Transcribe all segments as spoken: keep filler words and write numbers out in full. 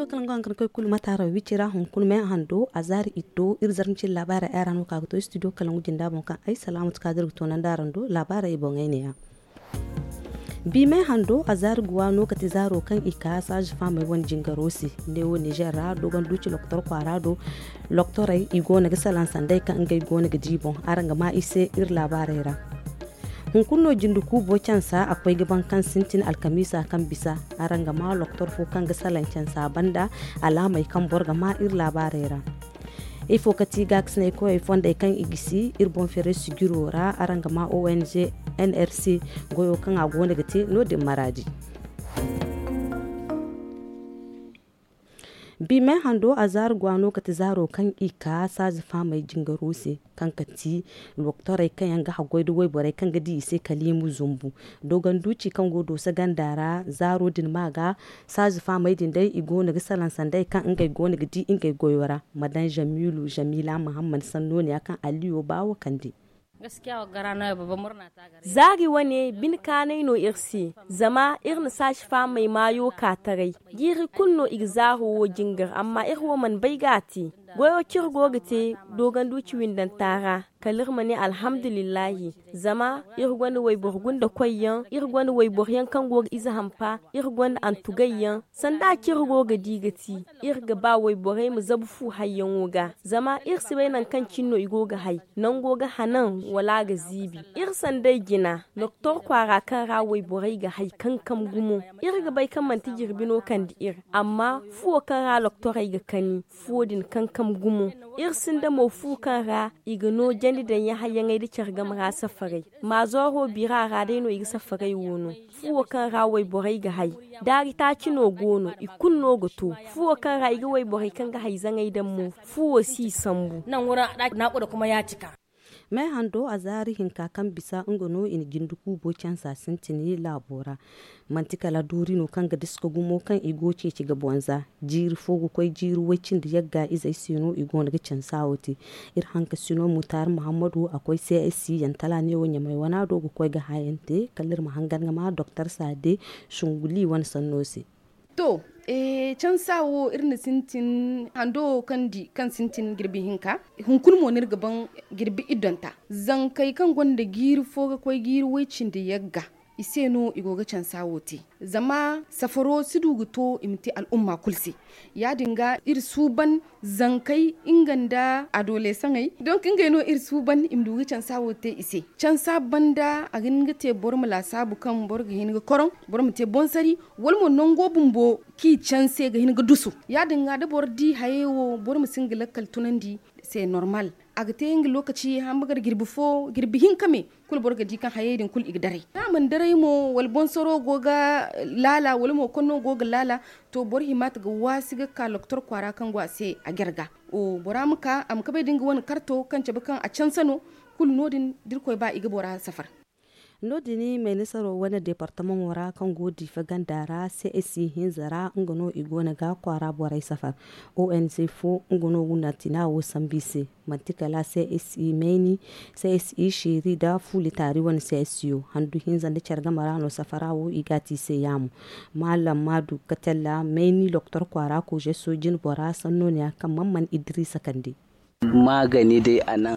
Kalangu haŋ kaŋ koy kulu mate araŋ wici ra hunkuna me hando a zaari itto iri zarma cine laabaarey ay ra no ka ga to studio kalangu jinda boŋ kaŋ ay salaamatu kaadir ga toonandi araŋ do laabaarey boŋey ne-ya. Bi me hando a zaari guwa no kate zaaro kaŋ i ka saazi faamey wane jingaro se. Neewo nizer ra dogon duuci loktor kwaara do loktorey i go no ga salaŋ sanday kaŋ ngey go no ga di boŋ araŋ ga ma i se iri laabaarey ra. Hunkuna no jinde kuubo cansa a koy ga ban kaŋ sintin alkamiisa kaŋ bisa. Araŋ ga ma loktor fo kaŋ ga salaŋ cansa banda alaamey kaŋ boro ga ma iri laabaarey ra. Ifo ka ti gaakasinay koyey fondey kaŋ i gisi iri boŋ ferey sijiro ra araŋ ga ma ong nrc goyo kaŋ a go no ga te no- din maraadi. Bi me hando a zaari gwa no kate zaaro kaŋ i ka saazi faamey jingaro se kaŋ ka ti loktorey kaŋ yaŋ ga haggoy nda wayborey kaŋ ga di i se kaliimu zumbu. Dogon duuci kaŋ go dooso ganda ra zaaro din ma ga saazi faamey din day i go no ga salaŋ sanday kaŋ ngey go no ga di ngey goyo ra. Madan jamiilu jamiila mahammad sanno ne ya kaŋ alliyo baawo kande. Zaari wane bine kaanay no iri se. Zama iri na saazi faamey maayo ka taray. Jiiri kulu no i ga zaaro wo jingar amma iri wo mana bay ga a te. Goyo kaŋ iri go ga te dogon duuci windanta ra kala iri ma ne alhamdulillahi. Zama iri gonda wayboro gunda koy yaŋ iri gonda wayboro yaŋ kaŋ go ga ize hampa iri gonda antugay yaŋ. Sanda kaŋ iri go ga di ga ti iri ga ba wayborey ma zabu fu hayyaŋo ga. Zama iri si bay nangu kaŋ cine no i go ga hay nango ga hanan wala a ga ziibi. Iri sanday jina doktor kwaara kaŋ ra wayborey ga hay kankam gumo. Iri ga bay kaŋ manti jirbi no kande iri amma fuwo kaŋ ra doktorey ga kani fuwo din kankam gumo. Iri sinda mo fu kaŋ ra i ga no jandi daŋ yahayyaŋey nda care game ra safaray. Maazooro bira ra day no i ga safaray wo no. Fuwo kaŋ ra wayborey ga hay daari taaci no go no i kulu no ga to. Fuwo kaŋ ra i ga wayborey kaŋ ga hay zaŋey daŋ mo fuwo si i sambu. Nangu ra naakura kuma ya cika. Me hando a zaari hinka kaŋ bisa nga no i na jinde kuubo cansa sintin laabo ra. Manti kala doori no kaŋ ga diska gumo kaŋ i go ceeci ga bonza. Jiiri fo ga koy jiiri way-cindi yagga izey se no i go no ga cansa wo te. Iri hankasino mutaari muhammadu a koy csc yantala neewo ɲamay wana do ga koy ga hayante kala iri ma hangan ga ma doktor saade sunguli wane sanno se. To, cansa wo iri na sintin hando wo kaŋ di kaŋ sintin jirbi hinka. Hunkuna mo no iri ga ban jirbi iddonta zankey kaŋ gonda jiiri fo ga koy jiiri way-cindi yagga i se no i go ga cansa wo te. Zama safaro si du ga to i ma te al'umma kulu se. Ya- din ga iri suuban zankey nga nda adolesaŋey donk ngey no iri suuban i ma du ga cansa wo te i se. Cansa banda a ga hin ga te boro ma laasaabu kaŋ boro ga hin ga koroŋ boro ma te boŋ sari wala mo nango bumbo kaŋ i canse ga hin ga dusu. Ya- din ga da boro di hayey wo boro ma si hin ga lakkal tunandi se normal. A ga te nga lookaci hambagar jirbi fo jirbi hinka me kulu boro ga di kaŋ hayey din kulu i ga daray da a mana daray mo wala bonsoro go ga laala wala mo konno go ga laala. To boro hima ta ga waasi ga ka loktor kwaara kaŋ go a se a jare ga. Bora ma ka a ma kabay da nga wane karto kaŋ cabe kaŋ a canse no. Kulu no- din da irkoy ba i ga bora safar. No- din maynisaro wane deepartamaŋo ra kaŋ go diifa ganda ra csc hinza ra nga no i go no ga kwaara borey safar. Ong fo nga no wunantina wo sambu i se. Manti kala csc mayni, csc seeri nda fuuli taari wane csc yo handu hinza nda care game ra no safara wo i ga a te i se yaamo. Maalam maadu katella mayni doktor kwaara koze soojin bora sanno ne ya kaŋ man man idiriisa kande.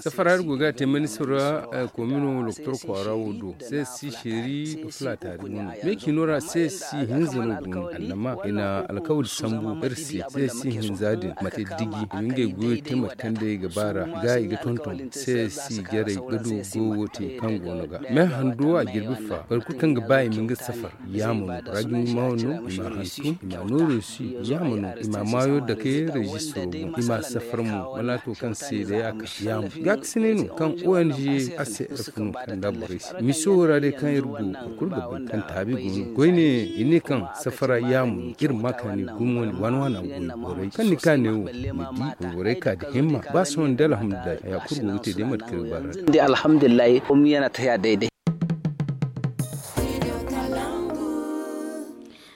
Safara iri go ga a te maynisaro ra komino doktor kwaara wo do csc seeri nda fuula taari wane. Me ciino ra csc hinza no go no annama i na alkawali sambu iri se. Csc hinza din ma te diji i ma ngey goyo te mate kaŋ day ga ba ra ga i ga tonton. Csc jarey ga du goyo wo te kaŋ go no ga me hando a jirbi fa boro kulu kaŋ ga ba i ma nga safar. Yaamo no bora ga i ma maa no i ma hantum i ma nooru si. Yaamo no i ma maayo dake rejistaro boŋ i ma safar mo malaato kaŋ se day a ka. Yaamo gaakasinay no kaŋ ong a se iri funu kaŋ da borey se miso wo ra day kaŋ iri go boro kulu ga bay kaŋ taabi go no koyne i ne kaŋ safara yaamo no iri ma kaani gumo ni waana waana goy borey kaŋ ni ka ne wo ni di borey ka da himma ba sohõ nda alhamdulillahi haya kulu go ga te day mate kaŋ iri ba ra. Alhamdulillahi.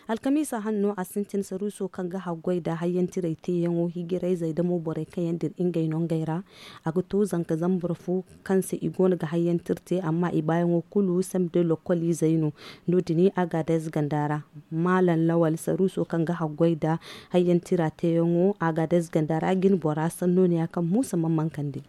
Alkamiisa hanno a sintin saruuso kaŋ ga haggoy nda hayyantiray teeyaŋo hijirayzey damo borey kaŋ yaŋ dira ngey no ngey ra. A ga to zanka zambar fo kaŋ se i go no ga hayyantir te amma i baayaŋo kulu samde lokkoliizey no. No- din agadez ganda ra. Maalam lawal saruuso kaŋ ga haggoy nda hayyantira teeyaŋo agadez ganda ra jine bora sanno ne ya kaŋ muusa man mankandi.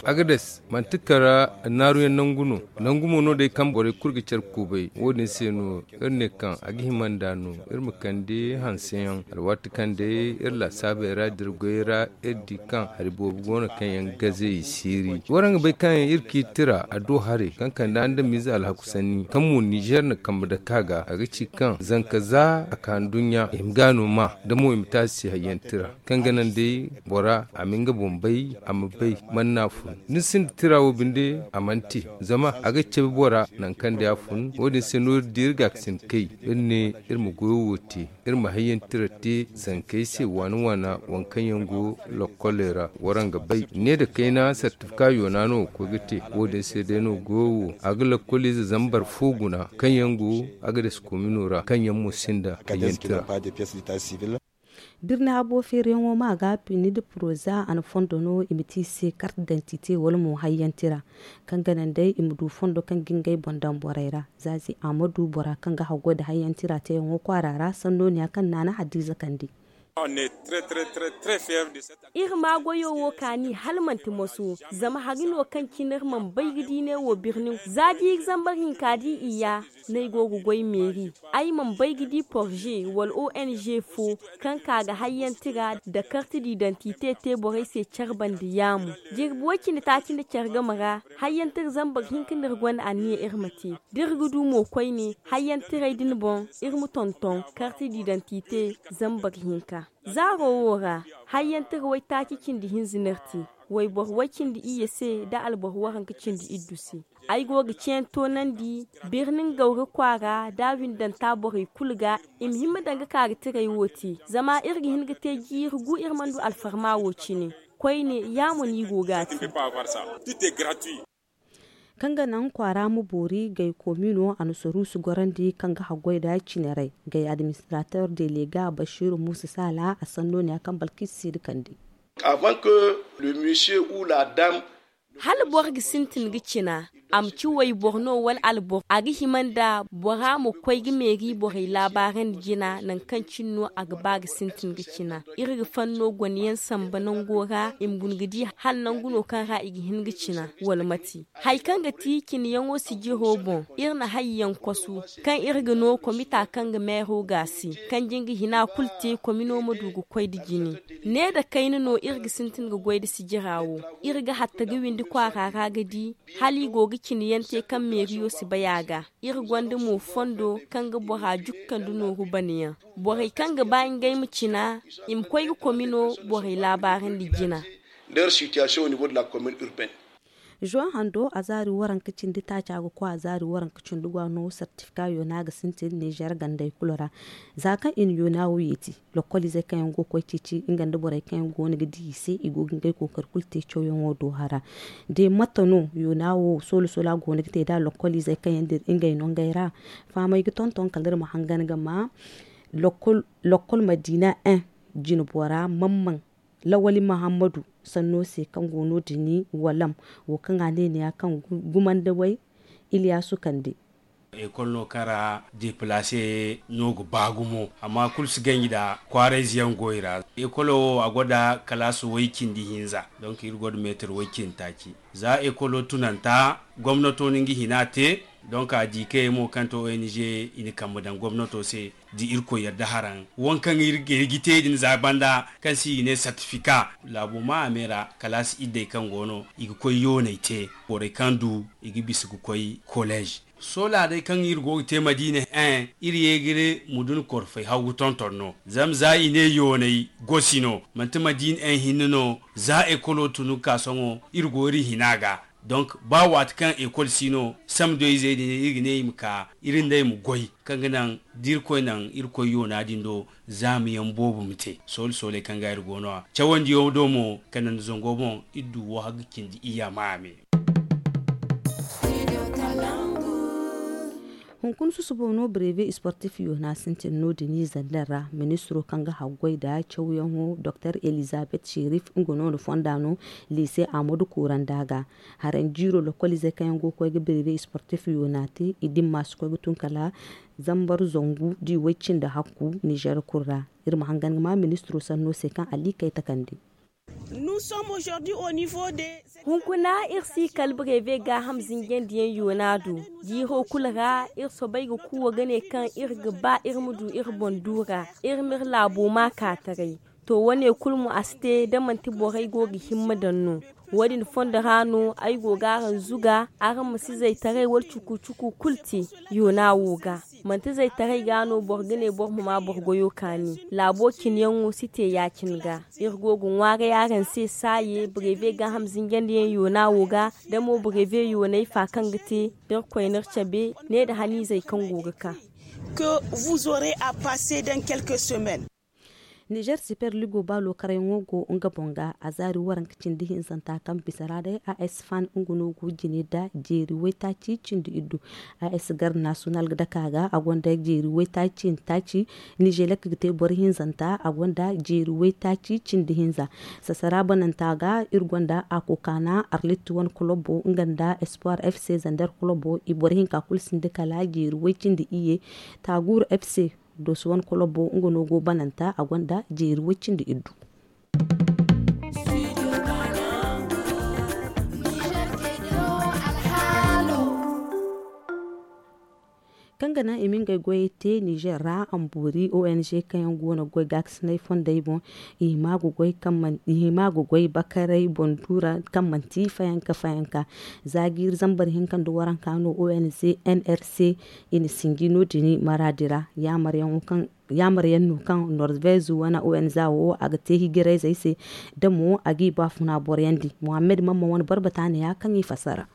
Agades manti kara naaruyaŋ nangu no. Nangu mo no day kaŋ borey kulu ga care kubay wo- din se no iri ne kaŋ a ga hima nd'a no iri ma kande hanseyaŋ alwaati kaŋ day iri laasaabey ra da iri goyey ra iri di kaŋ hari boobo go no kaŋ yaŋ gaze i siiri. Waraŋ ga bay kaŋ yaŋ iri k'i tira a do haray kaŋ kande andamiize alhaku sanni kaŋ mo nizer na kambe dake a ga a ga ci kaŋ zanka za a ka nduɲɲa i ma ga no ma da mo i ma te a se hayyantira kaŋ ga naŋ day bora a ma nga boŋ bay a ma bay man no a fun. Da ni sinda tira wo binde a mana te zama a ga cabe bora nangu kaŋ day a fun. Wo- din se no iri di iri ga ga sinda kay iri ne iri ma goyo wo te iri ma hayyantira te zankey se waana waana waŋ kaŋ yaŋ go lokkoley ra. Waraŋ ga bay ne nda kayna sartifika yoona no ga koy ga te. Wo- din se day no goyo wo a ga lokkoliize zambar fo guna kaŋ yaŋ go agades komino ra kaŋ yaŋ mo sinda hayyantira. Birni habo feeriyaŋo ma ga pini nda poroza a na fondo no i ma te i se kart dantite wala mo hayyantira kaŋ ga naŋ day i ma du fondo kaŋ ga ngey boŋ daŋ borey ra. Zaazi a ma du bora kaŋ ga haggoy nda hayyantira teeyaŋo kwaara ra sanno ne ya kaŋ naana hadiiza kande. Iri ma goyo wo kaani hala manti moso zama hari no kaŋ cine iri mana bay ga di ne wo birni za da iri zambar hinka di i ya no ay go ga goy meeri. Ay mana bay ga di porze wala ong fo kaŋ ka ga hayyantira nda karti didantite te borey se care banda yaamo. Jirbi way- cindi taaci nda care game ra hayyantira zambar hinka no iri gonda anniya iri ma te da iri ga du mo koyne hayyantiray din boŋ iri ma tonton karti didantite zambar hinka. Zaaro wo ra hayyantira waytaaci cindi hinza no iri te wayboro way- cindi iyye se nda alboro waranka cindi iddu se. Ay go ga ceene toonandi birni ngawri kwaara nda a windanta borey kulu ga i ma hin ma daŋ ga ka ga tiray wo te zama iri ga hin ga te jiiri gu iri mana du alfarma wo cine. Koyne ya mo no i go ga a te. Kaŋ ga naŋ kwaara ma boori gay koomino a na soruusu gorandi kaŋ ga haggoy nda cineray gay administrateur delega bashiru muusa saala a sanno ne ya kaŋ balkis si da kande. Hala boro ga sintin ga cina a ma ci wayboro no wala alboro a ga hima nda bora ma koy ga meeri borey laabaarandi jina nangu kaŋ cine no a ga ba ga sintin ga cina. Iri ga fanno gone yaŋ samba nango ra i ma guna ga di hala nangu no kaŋ ra i ga hin ga cina wala mate. Hari kaŋ ga ti cine yaŋo sijiro boŋ iri na hari yaŋ kosu kaŋ iri ga no komita kaŋ ga meero gaasi kaŋ jin ga hina kulu te komino ma du ga koy nda jine. Ne nda kayna no iri ga sintin ga goy nda sijira wo. Iri ga hatta ga windi kwaara ra ga di hala i go ga cine yaŋ te kaŋ meeriyo si bay a ga. Iri gonda mo fondo kaŋ ga bora jukkandi nooru bana yaŋ. Borey kaŋ ga ba ngey ma cina i ma koy ga komino borey laabaarandi jina. Zuwa hando a zaari waranka cindi taaca ga koy a zaari waranka cindi go a no sartifika yoona ga sintin nizer gandey kulu ra. Za kaŋ i na yoona wo yeeti lokkoliizey kaŋ yaŋ go ga koy ceeci nga nda borey kaŋ yaŋ go no ga di i se i go ga ngey kookari kulu te cawyaŋo do hara. De mate no yoona wo soola soola go no ga te nd'a lokkoliizey kaŋ yaŋ dira ngey no ngey ra. Fahamey ga tonton kala iri ma hangan ga ma lokkol madiina en jinbora mamman lawali mahammadu sanno se kaŋ go no- din walam wo kaŋ a ne ni ya kaŋ gumandawey iliyaasu kande. Ekol no kaŋ ra deplaase no ga ba gumo amma kulu si ganji nda kwaarayze yaŋ go i ra. Ekolo wo a gonda kalaasi way- cindi hinza. Donk iri gonda meetir way- cindi taaci. Za ekolo tunanta gomnato no nga hina te. Donk a di kayey mo kaŋ to ong i na kambe daŋ gomnato se da irkoy yadda haraŋ waŋ kaŋ iri ga te din za banda kaŋ se i ga ne sartifika. Laabo ma a me ra kalaasi iddey kaŋ go no i ga koy yooney te borey kaŋ du i ga bisa ga koy koleez. Sola day kaŋ iri go ga te madiina en iri ye ga iri mudun korfey haw ga tonton no. Zama za i ne yooney gosi no manti madiina en hinne no. Za ekolo tun ga ka sohõ iri go iri hina ga. Donk ba waati kaŋ ekol si no samdoyzey din iri ga ne i ma ka iri nd'ey ma goy kaŋ ga naŋ da irkoy naŋ irkoy yoona din do. Zaama yaŋ boobo ma te soole sooley kaŋ ga iri go no- ya cawandiyaŋo do mo kala nda zango boŋ iri du wo hagga cindi iyya ma a me. Hunkuna susubo no breve sportif yoona sintin no- din i zandar ra. Ministiro kaŋ ga haggoy nda cawyaŋo doktor elizabeth sherif nga no na fonda no lise amadu kuranda ga. Haranjiiro lokoliizey kaŋ yaŋ go ga koy ga breve sportif yoona te i dimma si koy ga tun kala zambar zangu da i way cindi hakku nizer kulu ra. Iri ma hangan ga ma ministiro sanno se kaŋ ali kay takandi. Hunkuna iri si kala breve gaaham zinjandiyaŋ yoona do. Jiiro kulu ra iri soobay ga kuuwa ga ne kaŋ iri ga ba iri ma du iri boŋ du ra. Iri ma iri laabo ma ka taray. To wane kulu mo a si te da manti borey go ga himma daŋ no. Wo-din fondo ra no ay go ga araŋ zuga araŋ ma si zaytaray wala cuku-cuku kulu te yoona wo ga. Manti zaytaray ga no boro ga ne boro ma ma boro goyo kaani. Laabo cine yaŋo si te ya- cine ga. Iri go ga ŋwaaray araŋ se saaye breve gaaham zinjandiyaŋ yoona wo ga. Da mo breve yoonay fa kaŋ ga te da iri koyne iri cabe ne nda haniizey kaŋ go ga ka. Que vous aurez à passer dans quelques semaines. Nizer siper ligo baalo karyaŋo go nga boŋ ga a zaari waranka cindi hinzanta kaŋ bisa ra day a s fan nga no go jine nda jeeri waytaaci cindi iddu. A s gar nasiyonal ga dake a ga a gonda jeeri waytaaci nda taaci. Nizelek ga te boro hinzanta a gonda jeeri waytaaci cindi hinza. Sasara bananta ga iri gonda a kokaana arlit wane kolobo nga nda espoir f c zander kolobo i boro hinka kulu sinda kala jeeri way cindi iyye. Taaguuru f c doso wane kolobo nga no go bananta a gonda jeeri way cindi iddu. Kaŋ ga naŋ i ma ngey goyey te nizer ra a ma boori ong kaŋ yaŋ go no ga goy gaakasinay fondey boŋ. I hima ga goy bakaray boŋ duura kaŋ manti fayanka fayanka. Za jiiri zambar hinka nda waranka no ong nrc i na sinji no- din maraadi ra. Yaamaryaŋ no kaŋ norvez wane ong wo a ga te hijirayzey se. Da mo a g'i baafuna boroyandi mohammed mamma wane boro bataaniya kaŋ i fassara.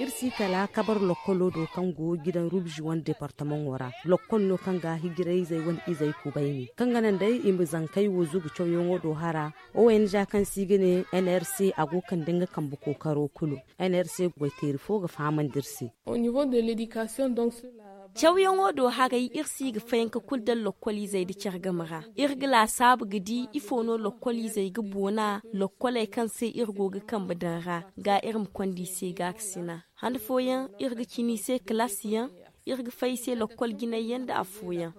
Iri si kala kabar lokkolo do kaŋ go gidan rubzi wane departamaŋo ra. Lokkol no kaŋ ga hijirayzey wane izey kubayni kaŋ ga naŋ day i ma zankey wo zugu cawyaŋo do hara. Ong kaŋ se i ga ne nrc a go kande nga kambe kookaro kulu. Nrc goyteeri fo ga fahamandi iri se. Cawyaŋo do haray iri si ga fayanka kulu daŋ lokkoliizey nda care game ra. Iri ga laasaabu ga di ifo no lokkoliizey ga boona lokkoley kaŋ se iri go ga kambe daŋ ra ga iri ma konda i se gaakasina. Han fooyaŋ iri ga cina i se kalaasiyaŋ. Iri ga fay i se lokkol jinayyaŋ nda affooyaŋ.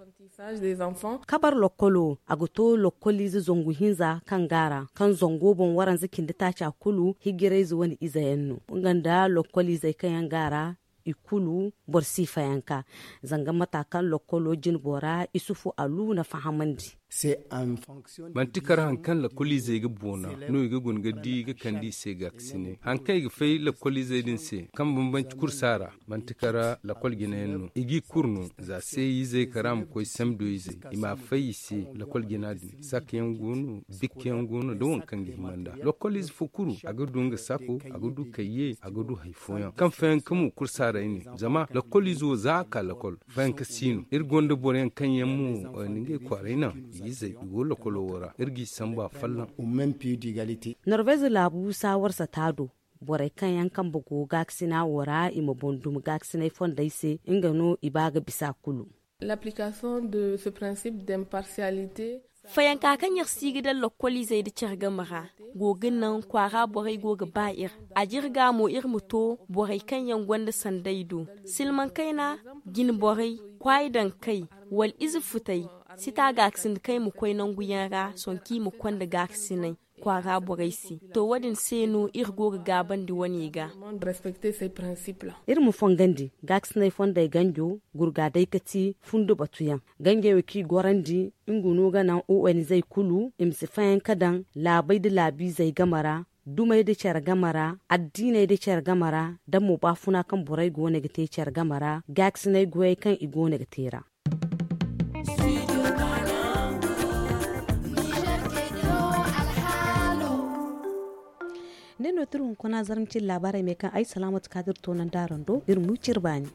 Kabar lokkolo a ga to lokkoliize zangu hinza kaŋ go a ra kaŋ zango boŋ waranza cindi taaca kulu hijirayze wane izeyaŋ no. Nga nda lokkoliizey kaŋ yaŋ go a ra i kulu boro si fayanka. Zanga mata kaŋ lokkolo jinbo ra isufu alu na fahamandi. Manti kar hari kaŋ lakkoliizey ga boona no i ga guna ga di ga kande i se gaakasinay hari kaŋ i ga fay lakkoliizey din se kaŋ bambanci kursa ra. Manti kar lakkol jinayaŋ no i g'i kuru no za se izey kara ma koy sambiyo izey i ma fay i se. Lakkol jina din sakka yaŋ go no bikka yaŋ go no da waŋ kaŋ ga hima nd'a. Lakkoliize fo kulu a ga du nga sakko a ga du kayye a ga du hari fooyaŋ kaŋ fayanka mo kursa ra i ne. Zama lakkoliize wo za a ka lakkol fayanka si no iri gonda boroyaŋ kaŋ yaŋ mo ni ngey kwaaray naŋ i izey i go lokolo wo ra iri g'i sambu afolloŋ. Norvez laabu saawar sata do borey kaŋ yaŋ kambe go gaakasina wo ra i ma boŋ dumi gaakasinay fondey se nga no i ba ga bisa kulu. Fayanka kaŋ iri si ga daŋ lokkoliizey nda care game ra go ga naŋ kwaara borey go ga ba iri. A jirga mo iri ma to borey kaŋ yaŋ gonda sanday do silmaŋ kayna, jine borey, kwaayi daŋ kay, wala ize futey, sita gaakasindi kaŋ i ma koy nangu yaŋ ra sohõ kaŋ i ma konda gaakasinay kwaara borey se. To wo- din se no iri go ga gaabandi wane ga. Iri ma fongandi gaakasinay fondey ganjo gurga day ka ti fundo batuyaŋ. Ganjey wo kaŋ i gorandi nga no ga naŋ o n zey kulu i ma si fayanka daŋ laabey nda laabiizey game ra, dumey nda care game ra, addiiney nda care game ra, da mo baafuna kaŋ borey go no ga te care game ra gaakasinay goyey kaŋ i go no ga te ra. Ne no tira hunkuna zarma cine laabaarey me kaŋ ay salaamatu kaadiri toonandi araŋ do iri ma wi cire baani.